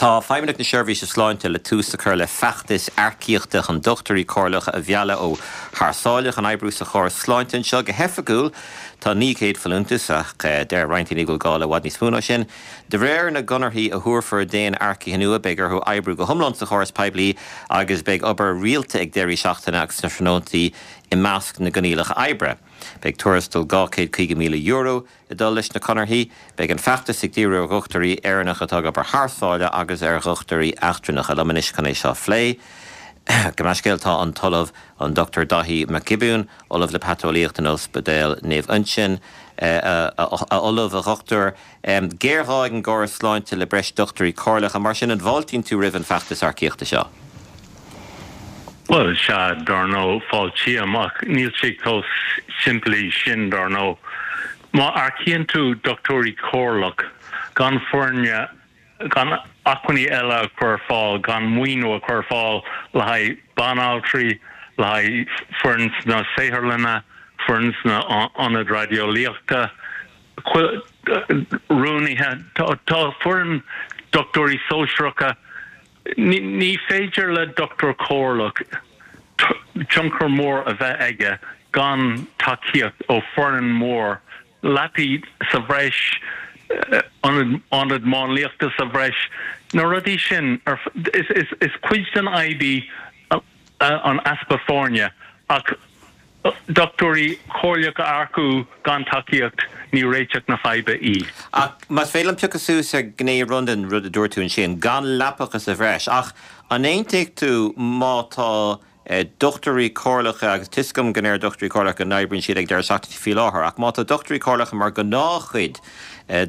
Tá Feidhmeannacht na Seirbhíse Sláinte le tús a chur le feachtas earcaíochta chun dochtúirí comhairleacha a mhealladh ó thar sáile chun oibriú sa chóras sláinte anseo. Go hoifigiúil tá 900 folúntas ach deir roinnt daoine go bhfuil gá le i bhfad níos mó ná sin. De réir na gconarthaí a thabharfar d'aon earcaithe nua beidh orthu oibriú go hiomlán sa chóras poiblí agus beidh obair rialta ag deirí seachtaine agus sna tráthnóntaí i measc na gcoinníollacha oibre. Beidh tuarastal €250,000 ag dul leis na conarthaí. Beidh an feachtas ag díriú ar dhochtúirí Éireannacha atá ag obair thar sáile agus ar dhochtúirí eachtrannacha. Liom anois chun é seo a phlé, gabh mo leithscéal, tá an tOllamh an Dr Daithí Mac Giobúin, Ollamh le Paiteolaíocht in Ospidéal Naomh Uinseann. A Ollaimh, a Dhochtúir, géarghá ag an gcóras sláinte le breis dochtúirí comhairleacha, mar sin an bhfáiltíonn tú roimh an bhfeachtas earcaíochta seo? Bhuel, sea, dar ndóigh, fáiltím, ach níl sé chomh simplí sin, dar ndóigh. Má earcaíonn tú dochtúirí comhairleach gan foirne, gan acmhainní eile a chur ar fáil, gan maoiniú a chur ar fáil le haghaidh banaltraí, le haghaidh foireann sna saotharlanna, foireann sna ionaid raideolaíochta, rúnaithe, tá foireann dochtúirí sóisearacha, Ní féidir le dochtúir comhairleach tionchar mór a bheith aige gan tacaíocht ó foireann mór, leapaí sa bhreis, ionad máinliachta sa bhreis, na rudaí sin. Is cuid den fhadhb í an easpa foirne ach Dochtúirí comhairleacha a earcú gan tacaíocht, ní réiteach na faidhbe í. Ach más féidir liom piocadh suas ar ghné amháin den rud a dúirt tú ansin, gan leapacha sa bhreis, ach an aontaíonn tú má tá dochtúirí comhairleacha, agus tá 'fhios agam go ndeir dochtúirí comhairleacha go n-oibríonn siad ag deireadh seachtaine faoi láthair, ach má tá dochtúirí comhairleacha mar ghnáthchuid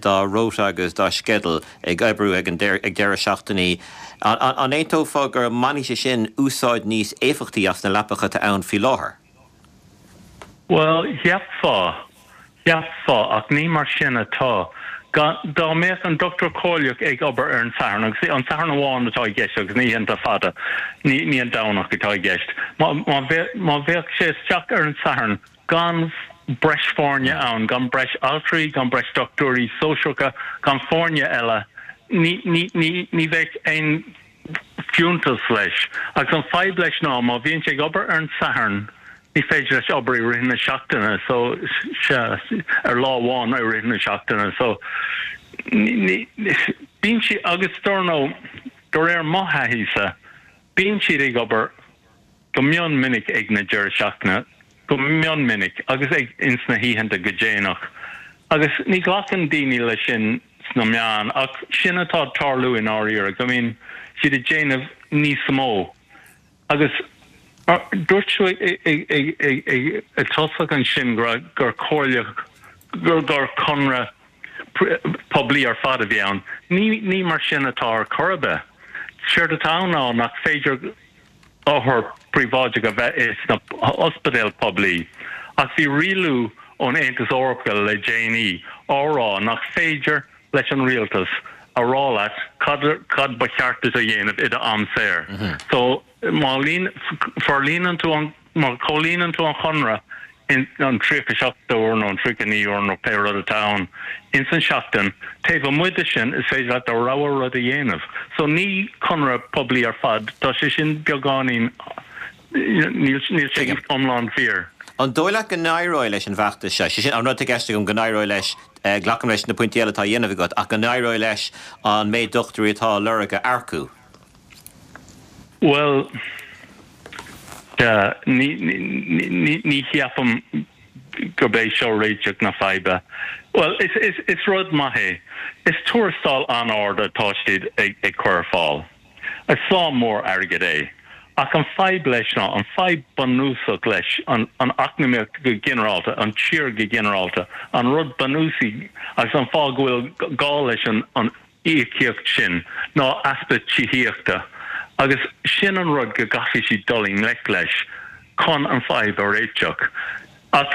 dá rota agus dá sceideal ag oibriú ag deireadh seachtainí, an aontófá go mbainfidh sé sin úsáid níos éifeachtaí as na leapacha atá ann faoi láthair? Bhuel, cheapfá, cheapfá, ach ní mar sin atá. Dá mbeadh an dochtúir comhairleach ag obair ar an Satharn, agus an Satharn amháin atá i gceist agus na hoícheanta fada, ní an Domhnach atá i gceist, má bheadh sé isteach ar an Satharn, gan breis foirne ann, gan breis altraí, gan breis dochtúirí sóisearacha, gan foirne eile, ní, ní, ní, ní bheadh aon fiúntas leis. Agus an fadhb leis ná má bhíonn sé ag obair ar an Satharn, ní féidir leis obair i rith na seachtaine, so, sea, ar lá amháin i rith na seachtaine, so, ní, ní, bíonn siad, agus dar ndóigh, de réir mo thaithí-sa, bíonn siad ag obair go mion minic ag na deireadh seachtaine, go mion minic, agus ag ins na hoícheanta go déanach. Agus ní ghlacann daoine leis sin sna meáin, ach sin atá ag tarlú i ndáiríre, go mbíonn siad ag déanamh níos mó. Agus dúirt tú ag tosach ansin go raibh, gur comhairleach, gur conradh poiblí ar fad a bhí ann. Ní, ní mar sin atá ar chor ar bith. Séard atá ann ná nach féidir othar príobháideach a bheith sna hospidéil poiblí, ach bhí rialú ón Aontas Eorpach le déanaí á rá nach féidir leis an rialtas a rá leat cad cad ba cheart duit a dhéanamh i do am saor. So má forlíonann tú an Má chomhlíonann tú an chonradh in an 37 uair nó an 39 uair nó pé rud atá ann ins an seachtain, taobh amuigh de sin is féidir leat do rogha rud a dhéanamh. So ní conradh poiblí ar fad, tá sé sin beagáinín, níl sé iomlán fíor. An dóigh leat go n-éireoidh leis an bhfeachtas seo, sé sin an rud atá i gceist agam, go n-éireoidh leis, glacaim leis na pointí eile atá á dhéanamh agat, ach go n-éireoidh leis an méid dochtúirí atá á lorg a earcú? Bhuel, ní cheapaim gurb é seo réiteach na faidhbe. Bhuel, is rud maith é. Is tuarastal an-ard atá siad ag cur ar fáil. Is slám mór airgid é. Ach an fadhb leis ná, an fadhb bunúsach leis an eacnamaíocht go ginearálta, an tír go ginearálta, an rud bunúsaí agus an fáth go bhfuil gá leis an íocaíocht sin ná easpa tithíochta agus sin an rud go gcaithfidh siad dul i ngleic leis chun an fadhb a réiteach. Ach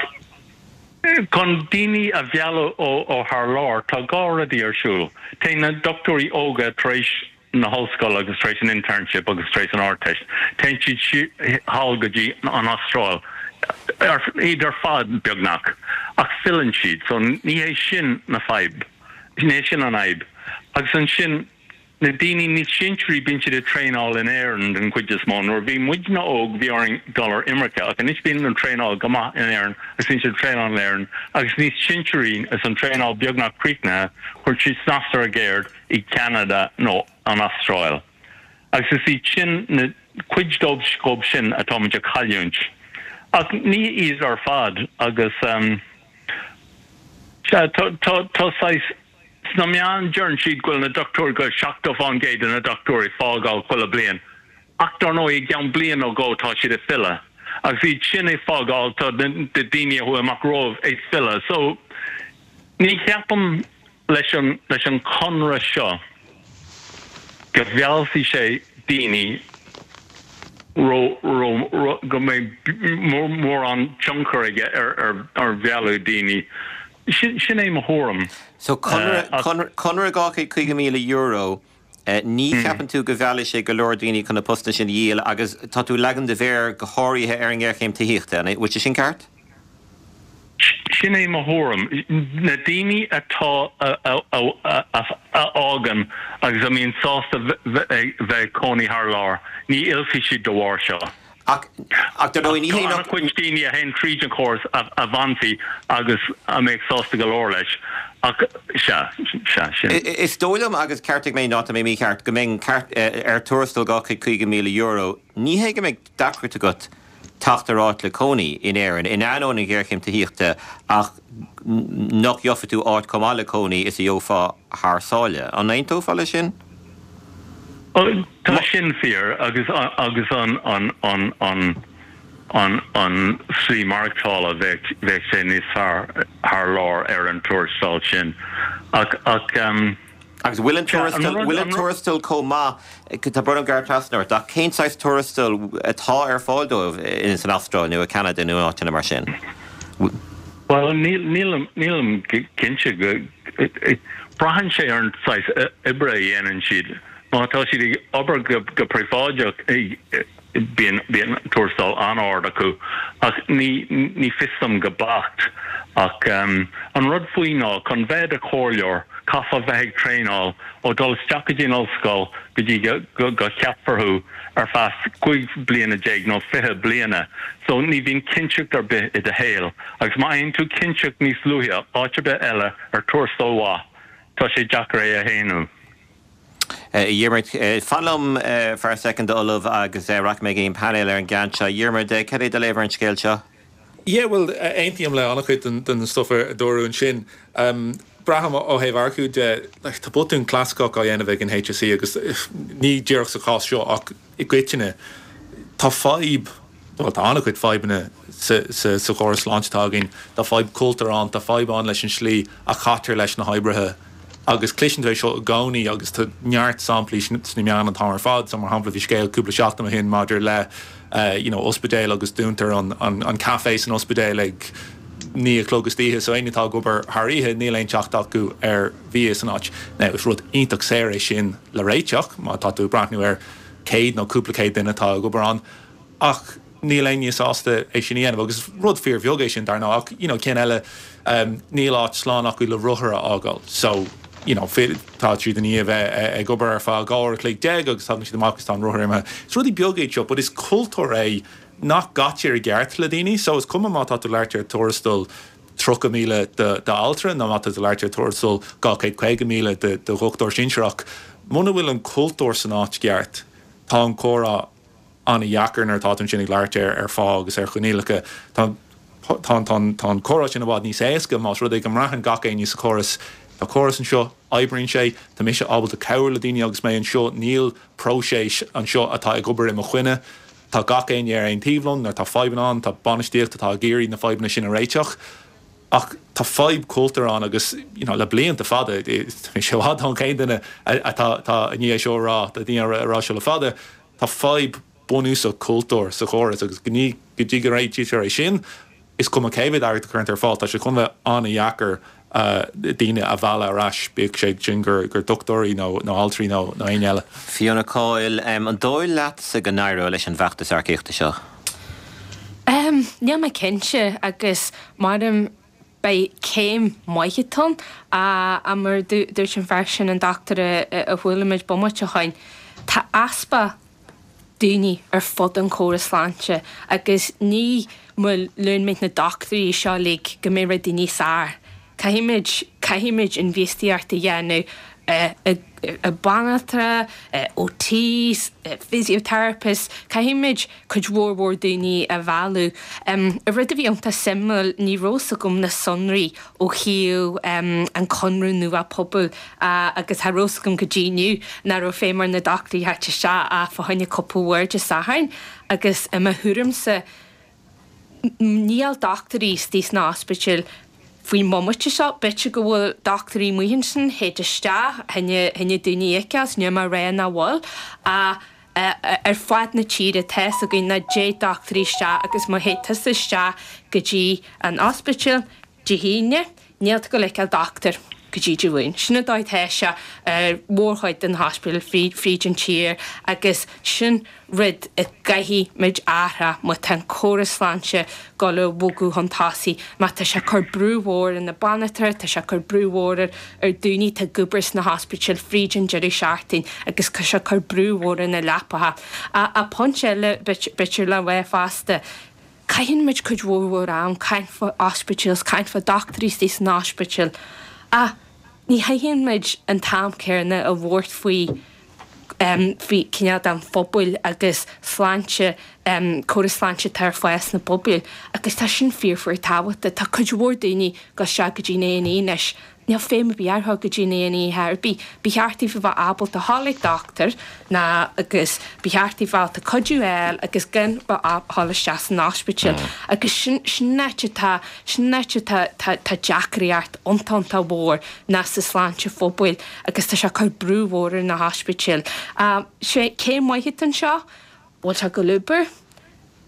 chun daoine a mhealladh ó thar lear tá dhá rudaí ar siúl. Téann na dochtúirí óga tar éis na hollscoile agus tar éis an internship agus tar éis an Ardteist, téann siad thall go dtí an Astráil, iad ar fad beagnach, ach filleann siad. So ní hé sin na fadhb. Ní hé sin an fhadhb. Agus ansin. Na daoine níos sinsearaí bíonn siad ag traenáil in Éirinn den chuid is mó. Nuair a bhí muidne óg bhí orainn dul ar imirce ach anois bíonn an traenáil go maith in Éirinn agus bíonn siad ag traenáil in Éirinn agus níos sinsearaí is an traenáil beagnach críochnaithe cuireann siad snas ar a gceird i gCeanada nó an Astráil. Agus is iad sin na cuid dóibh sin atáimid ag cailliúint. Ach ní iad ar fad agus sea tá tá saghas Sna meáin, deireann siad go bhfuil na dochtúirí, go bhfuil 70% de na dochtúirí ag fágáil chuile bliain. Ach dar ndóigh, i gceann bliain nó dhó tá siad ag filleadh. Agus iad sin ag fágáil, tá na daoine a chuaigh amach rompu ag filleadh. So, ní cheapaim leis an, leis an chonradh seo go mheallfaidh sé daoine ró, ró, ró, go mbeidh mórán tionchar aige ar, ar, ar mhealladh daoine. Sin é mo thuairim. So, conradh €250,000, ní cheapann tú go mheallfaidh sé go leor daoine chun na postanna sin a dhíol agus tá tú ag leagan do mhéar go háirithe ar an ngéarchéim tithíochta, an bhfuil sé sin ceart? Sin é mo thuairim. Na daoine atá, a fhágann agus a mbíonn sásta bheith ag cónaí thar lear, ní fhillfidh siad de bharr seo. Ach, ach dar ndóigh, ní hé nach. Tá an-chuid daoine a théann tríd an chóras a bhfanfaidh agus a mbeadh sásta go leor leis. Ach, sea, sea, sin. Is dóigh liom, agus ceartaigh mé má tá mé mícheart, go mbeinn ceart, ar tuarastal €250,000, ní hé go mbeidh deacracht agat teacht ar áit le cónaí in Éirinn, in ainneoin an ghéarchéim tithíochta, ach nach gheofaidh tú áit chomh maith le cónaí is a gheofá thar sáile. An aontófá leis sin? Tá sin fíor agus agus an an an an an an slí maireachtála bheadh bheadh sé níos fearr thar lear ar an tuarastal sin ach ach ehm Agus bhfuil an tuarastal bhfuil an tuarastal chomh maith tá brón orm gearradh trasna ort ach cén saghas tuarastal atá ar fáil dóibh in san Astráil nó i Ceanada nó in áiteanna mar sin? Bhuel níl nílim nílim cinnte go Braitheann sé ar an saghas oibre a dhéanann siad. Má tá siad ag obair go príobháideach, bíonn tuarastal an-ard acu, ach ní fios dom go beacht. Ach an rud faoi ná, chun bheith i do chomhairleoir, caithfeá bheith ag traenáil ó dul isteach go dtí an ollscoil go dtí go gceapfar thú ar feadh 15 bliana nó 20 bliana. So ní bhíonn cinnteacht ar bith i do shaol. Agus má fhaigheann tú cinnteacht níos luaithe áit ar bith eile, ar tuarastal mhaith, tá sé deacair é a shéanadh. A Dhiarmuid, fan liom feadh soicind, a Ollamh, agus rachaidh mé go dtí an painéal ar an gceann seo. A Dhiarmuid, cad é do léamh ar an scéal seo? Yeah, bhuel, aontaím le an-chuid den stuff a dúradh ansin. Braithim ó thaobh earcú de, like, tá botún clasaiceach á dhéanamh ag an HSE agus ní díreach sa chás seo ach i gcoitinne, tá fadhb, bhuel, tá an-chuid fadhbanna sa chóras sláinte atá againn. Tá fadhb cultúir ann, tá fadhb ann leis an slí a chaitear leis na hoibrithe agus cloiseann tú é seo i gcónaí agus tá neart samplaí sna meáin an t-am ar fad. So, mar shampla, bhí scéal cúpla seachtain ó shin maidir le you know ospidéal agus dúntar an an café san ospidéal ag 9 a chlog istoíche so éinne atá ag obair thar oíche níl aon teacht acu ar bhia san áit. Now, is rud iontach saor é sin le réiteach má tá tú ag breathnú ar chéad nó cúpla céad duine atá ag obair ann ach níl éinne sásta é sin a dhéanamh agus is rud fíorbheag é sin dar ndóigh ach you know cinn eile níl áit slán acu le rothar a fhágáil so you know tá siad i ndiaidh a bheith ag obair ar feadh 12 uair a chloig agus tagann siad amach agus tá an rothar imithe. Is rudaí beaga iad seo but is cultúr é nach gcaitear i gceart le daoine so is cuma má tá tú ag labhairt ar tuarastal 30,000 d'altra nó má tá tú ag labhairt ar tuarastal 250,000 do dhochtúir sinsearach, muna bhfuil an cultúr san áit cheart, tá an comhrá an-dheacair nuair atá tú ansin ag labhairt ar phá agus ar choinníollacha. Tá tá an comhrá sin i bhfad níos éasca más rud é go mbraitheann gach éinne sa chóras, tá córas anseo, oibríonn sé, tá mise ábalta cabhrú le daoine agus mé anseo, níl próiseas anseo atá ag obair i mo choinne. Tá gach éinne ar aon taobh liom nuair atá fadhbanna ann, tá bainistíocht atá ag iarraidh na fadhbanna sin a réiteach. Ach tá fadhb cultúir ann agus you know le blianta fada, tá mé i bhfad ón chéad duine atá atá i ndiaidh é seo a rá, tá daoine ag rá seo le fada, tá fadhb bunúsach cultúir sa chóras agus go dtí go réitítear é sin, Is cuma cé mhéad airgead a chuireann tú ar fáil, tá sé chun bheith an-dheacair daoine a mhealladh ar ais, bíodh sé sin gur dochtúirí nó altraí nó éinne eile. Fiona Coyle, An dóigh leatsa go n-éireoidh leis an bhfeachtas earcaíochta seo? Níl mé cinnte agus maram. Beidh céim maith atá ann, ach mar a dúirt an fear sin, an dochtúir a chuala muid bomaite ó shoin, tá easpa daoine ar fud an chóras sláinte agus ní má luann muid na dochtúirí seo uilig go mbeidh rudaí níos fhearr. Caithfimid, caithfimid infheistíocht a dhéanamh i banaltra, OTs, physiotherapists, caithfimid cuid mhór mhór daoine a mhealladh. Rud a bhí iontach suimiúil, ní raibh fhios agam na sonraí ó thaobh an conradh nua pobail agus cha raibh fhios agam go dtí inniu nach raibh feidhm ar na dochtúirí theacht isteach ach fá choinne cúpla uair Dé Sathairn agus i mo thuairimse níl dochtúirí istigh sna hospidéil faoin mbomaite seo. B'fhéidir go bhfuil dochtúirí amuigh ansin, théid isteach, choinne daoine a fheiceáil, níl mé ag rá nach bhfuil, ach ar fad na tíre tá fhios againn nach dtéid dochtúirí isteach agus má théid tusa isteach go dtí an ospidéal Dé hAoine, níl tú ag goil a fheiceáil dochtúir go dtí Dé Luain. Sin an dóigh atá sé ar mhórchuid de na hospidéil fríd an tír agus sin rud a gcaithfidh muid athrú má tá an córas sláinte goil a bhogadh chun tosaigh, má tá sé ag cur brú mhór ar na banaltraí, tá sé ag cur brú mhór ar ar daoine atá ag obair sna hospidéil fríd an deireadh seachtain agus tá sé ag cur brú mhór ar na leapacha. Ach pointe eile b'fhéidir le rá fosta, Caitheann muid cuid mhór mhór am caint fá ospidéil 's caint fá dochtúirí istigh san ospidéal ach ní chaitheann muid an t-am céanna a thabhairt faoi faoi cineál den phobail agus sláinte córas sláinte atá ar fáil sna pobail agus tá sin fíor fíor tábhachtach. Tá cuid mhór daoine ag goil isteach go dtí an A&E anois Níl feidhm ar bith ar dhul go dtí an A&E ar bith. Ba cheart daofa bheith ábalta dhul ag dochtúir ná agus ba cheart daofa bheith ábalta cuidiú a fháil agus gan bheith a dhul isteach san ospidéal. Agus sin, sin an áit atá, sin an áit atá, tá, tá deacraíocht iontach, iontach mhór ná sa sláinte phobail agus tá sé ag cur brú mhór ar na hospidéil. Sé céim mhaith atá anseo, bhfuil sé ag goil obair?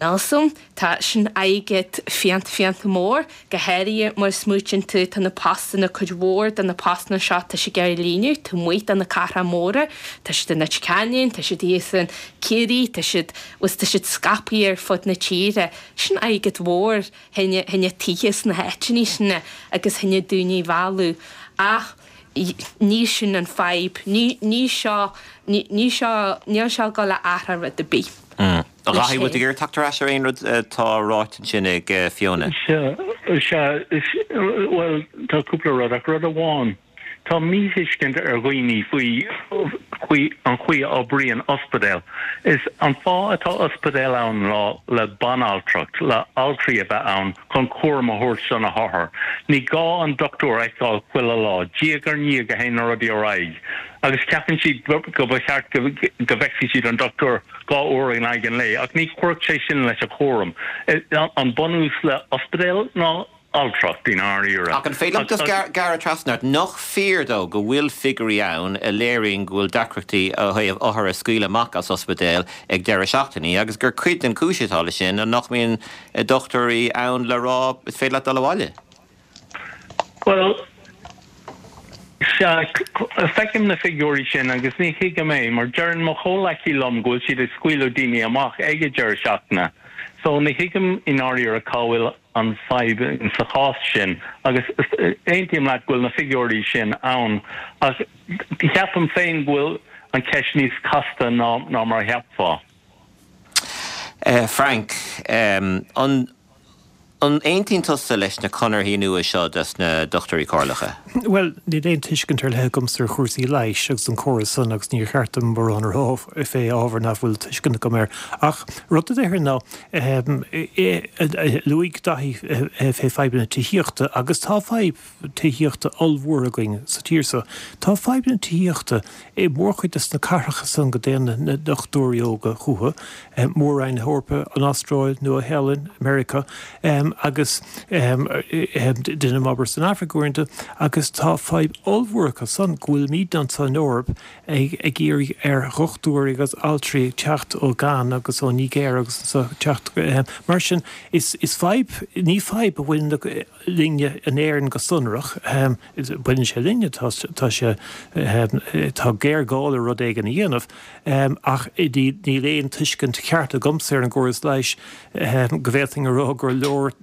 Níl 's a'm. Tá sin airgead fiánta fiánta mór, go háirithe má smaoitíonn tú tá na postanna, cuid mhór de na postanna seo tá siad ag iarraidh líonadh taobh amuigh de na cathracha móra, tá siad i Leitir Ceanainn, tá siad thíos in Ciarraí, tá siad, bhuel tá siad scaipthe ar fud na tíre. Sin airgead mhór choinne, choinne tithe sna háiteanna sin agus choinne daoine a mhealladh. Ach ní sin an fadhb, ní, ní seo, ní, ní seo, níl seo ag dul a athrú rud ar bith. A Dhaithí, bhfuil tú ag iarraidh teacht ar ais ar aon rud atá ráite ansin ag Fiona? Sea, sea, bhuel, tá cúpla rud, ach rud amháin, tá míthuiscint ar dhaoine faoi faoi an chaoi a oibríonn ospidéal. Is an fáth atá ospidéal ann ná le banaltracht, le altraí a bheith ann chun cúram a thabhairt do na hothair. Ní gá an dochtúir a fheiceáil chuile lá, diaidh ar ndiaidh a théann na rudaí ar aghaidh agus ceapann siad go ba cheart go bhfeicfidh siad an dochtúir 2 uair in aghaidh an lae, ach ní chuirfeadh sé sin leis an chúram. An bunús le ospidéal ná altracht, i ndáiríre. Ach an féidir liom just gearradh trasna ort? Nach fíor dó go bhfuil figiúirí ann a léiríonn go bhfuil deacrachtaí ó thaobh othair a scaoileadh amach as ospidéal ag deireadh seachtainí agus gur cuid den chúis atá leis sin ná nach mbíonn dochtúirí ann le rá is féidir leat dul abhaile? Bhuel, sea, feicim na figiúirí sin agus ní thuigim é, mar deireann mo chomhleacaí liom go bhfuil siad ag scaoileadh daoine amach ag an deireadh seachtaine. So, ní thuigim i ndáiríre cá bhfuil an fadhb sa chás sin. Agus aontaím leat go bhfuil na figiúirí sin ann, ach ceapaim féin go bhfuil an cheist níos casta ná mar a cheapfá. Frank, an. An aontaíonn tusa leis na conarthaí nua seo dos na dochtúirí comhairleacha? Bhuel, níl aon tuiscint ar leith agamsa ar chúrsaí leighis agus an córas san agus níor cheart dom mórán a rá fé ábhar nach bhfuil tuiscint agam air. Ach rud a déarfainn ná, luaigh Daithí fé fadhbanna tithíochta agus tá fadhb tithíochta ollmhór againn sa tír so. Tá fadhbanna tithíochta i mórchuid de na cathracha san go dtéann na dochtúirí óga chucu, Mór-Roinn na hEorpa, an Astráil, Nua-Shéalainn, Meiriceá agus déanaim obair san Afraic uaireanta agus tá fadhb ollmhór acu san go bhfuilimidne anso in Eoraip ag iarraidh ar dhochtúirí agus altraí teacht ó Ghana agus ó Nigéir agus anso teacht mar sin is fadhb, ní fadhb a bhaineann linne in Éirinn go sonrach. Baineann sé linne, tá sé, tá géarghá le rud éigin a dhéanamh, ach níl aon tuiscint cheart agamsa ar an gcóras leighis go bhféadfainn a rá gur leor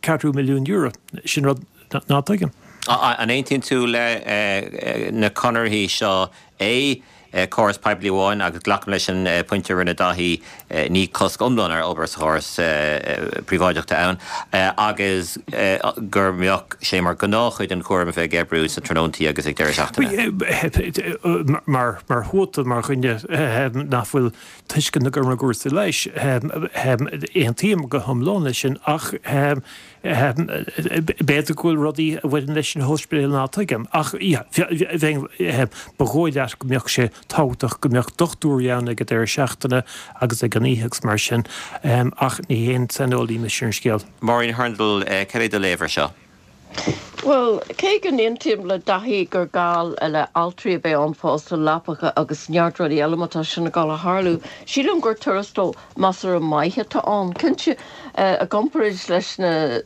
ceathrú milliún euro. Sin rud. Ná tuigim. An aontaíonn tú le na conarthaí seo A, córas poiblí amháin agus glacaim leis an pointe a rinne Daithí, ní cosc iomlán ar obair sa chóras príobháideach atá ann, agus gur mbeadh sé mar ghnáthchuid den chúram a bheith ag oibriú sna tráthnóntaí agus ag deireadh seachtaine. Mar thuata, mar dhuine nach bhfuil tuiscint agam ar chúrsaí leighis, aontaím go hiomlán leis sin ach B'fhéidir go bhfuil rudaí a bhaineann leis an ospidéal ná tuigim, ach ba dhóigh leat go mbeadh sé tábhachtach go mbeadh dochtúirí ann ag an deireadh seachtaine agus ag an oíche agus mar sin, ach ní haon saineolaí mise ar an scéal. Máirín Hurndall, cad é do léamh ar seo? Bhuel, cé go n-aontaím le Daithí gur gá le altraí a bheith ann fosta, leapacha agus neart rudaí eile má tá sin ag dul a tharlú, sílim gur tuarastal measartha maith atá ann. Cinnte, i gcomparáid leis na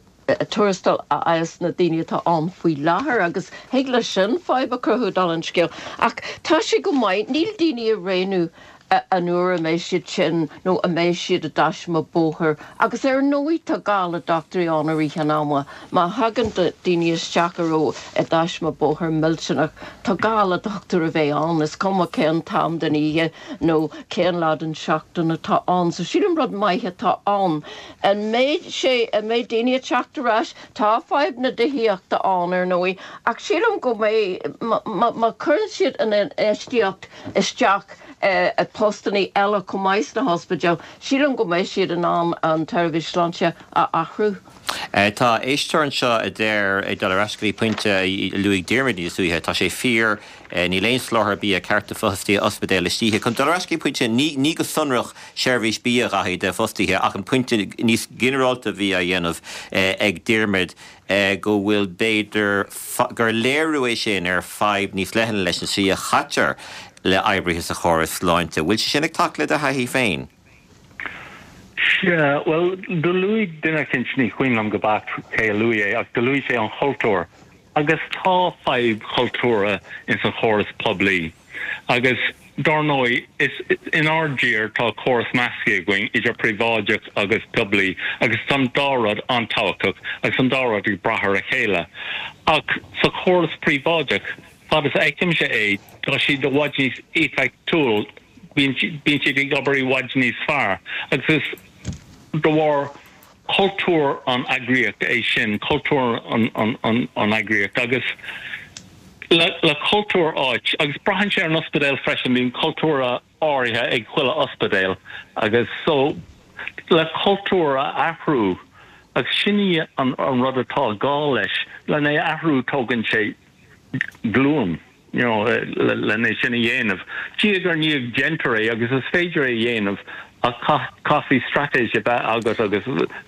tuarastail a fhaigheas na daoine atá ann faoi láthair, agus thig leis sin fadhb a chruthú, dála an scéil. Ach tá sé go maith, níl daoine ag roghnú an uair a mbeidh siad tinn nó a mbeidh siad i dtaisme bóthair. Agus ar ndóigh tá gá le dochtúirí ann i rith an ama. Má thagann daoine isteach a raibh i dtaisme bóthair millteanach, tá gá le dochtúir a bheith ann, is cuma cén t-am den oíche nó cén lá den seachtain atá ann. So sílim rud maith atá ann. An mbeidh sé, an mbeidh daoine ag teacht ar ais? Tá fadhb na tithíochta ann ar ndóigh ach sílim go mbeidh, má chuireann siad an infheistíocht isteach i postannaí eile chomh maith sna hospidéil, sílim go mbeidh siad in ann an tseirbhís sláinte a athrú. Tá éisteoir anseo a deir, ag dul ar ais go dtí pointe a luaigh Diarmuid níos luaithe, tá sé fíor, níl aon soláthar bia ceart do fostaithe ospidéil istoíche. Chun dul ar ais go dtí pointe, ní go sonrach seirbhís bia a Dhaithí do fostaithe ach an pointe níos ginearálta a bhí á dhéanamh ag Diarmuid go bhfuil b'fhéidir gur léiriú é sin ar fadhb níos leithne leis an tslí a chaitear le oibrithe sa chóras sláinte. Bhfuil sé sin ag teacht le do thaithí féin? Sea, bhuel, do luaigh duine eicínt, ní cuimhin liom go beacht cé a luaigh é, ach do luaigh sé an chultúr. Agus tá fadhb chultúrtha ins an chóras poiblí. Agus, dár ndóigh, is inár dtír tá córas measctha againn idir príobháideach agus poiblí agus tá an dá rud an-tábhachtach agus an dá rud ag brath ar a chéile. Ach sa chóras príobháideach, fad is a fheicimse é, tá siad i bhfad níos éifeachtúil, bíonn siad ag obair i bhfad níos fearr agus is de bharr cultúr an eagraíocht é sin, cultúr an eagraíocht agus le cultúr áit agus braitheann sé ar an ospidéal freisin, bíonn cultúr áirithe ag chuile ospidéal agus so le cultúr a athrú agus sin í an rud atá gá leis, len é a athrú tógann sé glúin. you know, len é sin a dhéanamh. Diaidh ar ndiaidh déantar é agus is féidir é a dhéanamh ach caithfidh straitéis a bheith agat agus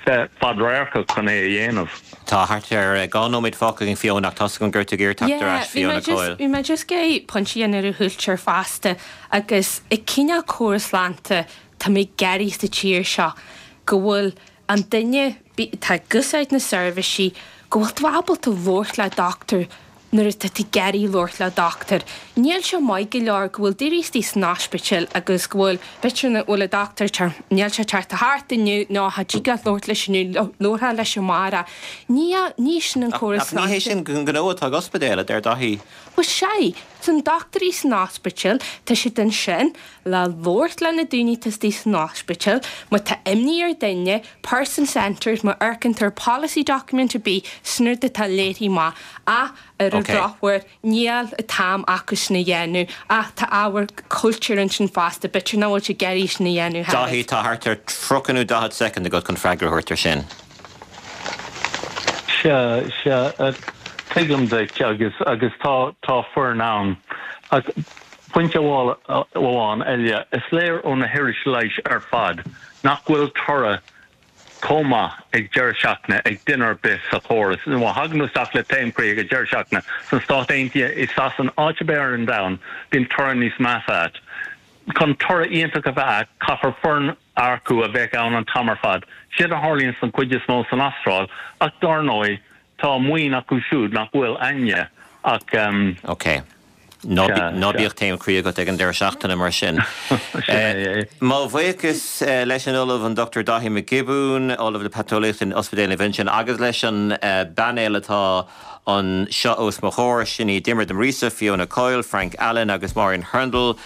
bheith fadradharcach chun é a dhéanamh. Tá thart ar 2 nóiméad fágtha againn Fiona ach tá's agam go raibh tú ag iarraidh teacht ar ais Fiona Coyle. Bhí mé just ag iarraidh pointe a dhéanamh ar an chúltur fosta agus an cineál córas sláinte tá mé ag iarraidh sa tír seo go bhfuil an duine atá ag úsáid na seirbhísí go bhfuil tú ábalta labhairt le dochtúir nuair atá tú ag iarraidh labhairt le dochtúir. Níl sé maith go leor go bhfuil daoine istigh san ospidéal agus go bhfuil, b'fhéidir nach bhfuil an dochtúir tar, níl sé teacht thart inniu nó cha dtig leat labhairt leis inniu, labharfá leis amárach. Ní, ní sin an córas sláinte. Ach ní hé sin an gnó atá ag ospidéal, a deir Daithí. Bhuel sea, tá na dochtúirí san ospidéal, tá siad ansin le labhairt le na daoine atá istigh san ospidéal, má tá imní ar duine, person centred, má amharcann tú ar policy document ar bith, sin rud atá léirithe amach, ach ar an drochuair níl an t-am acu sin a dhéanamh, ach tá ábhar cultúir ansin fosta, b'fhéidir nach bhfuil siad ag iarraidh sin a dhéanamh thar Daithí, tá thart ar 30 nó 40 soicind agat chun freagra a thabhairt ar sin. Sea, sea, tuigim duit agus, agus tá, tá foireann ann. Ach pointe amháin eile, is léir ó na hiris leighis ar fad nach bhfuil toradh chomh maith ag deireadh seachtaine ag duine ar bith sa chóras. Má thagann tú isteach le taom croí ag an deireadh seachtaine sna Stáit Aontaithe, i Sasana, áit ar bith ar an domhan, bíonn toradh níos measa agat. Chun toradh iontach a bheith agat, caithfear foireann a earcú a bheadh ann an t-am ar fad. Séard a tharlaíonn don chuid is mó san Astráil, ach dár ndóigh, tá maoin acu siúd nach bhfuil a'inne ach. Ok. Ná bíodh taom croí agat ag an deireadh seachtaine mar sin. Mo bhuíochas leis an Ollamh an Dr Daithí Mac Giobúin, Ollamh le Paiteolaíocht in Ospidéal Naomh Uinseann agus leis an bpainéal atá anseo os mo chomhair, sin iad Diarmuid de Muiríosa, Fiona Coyle, Frank Allen agus Máirín Hurndall.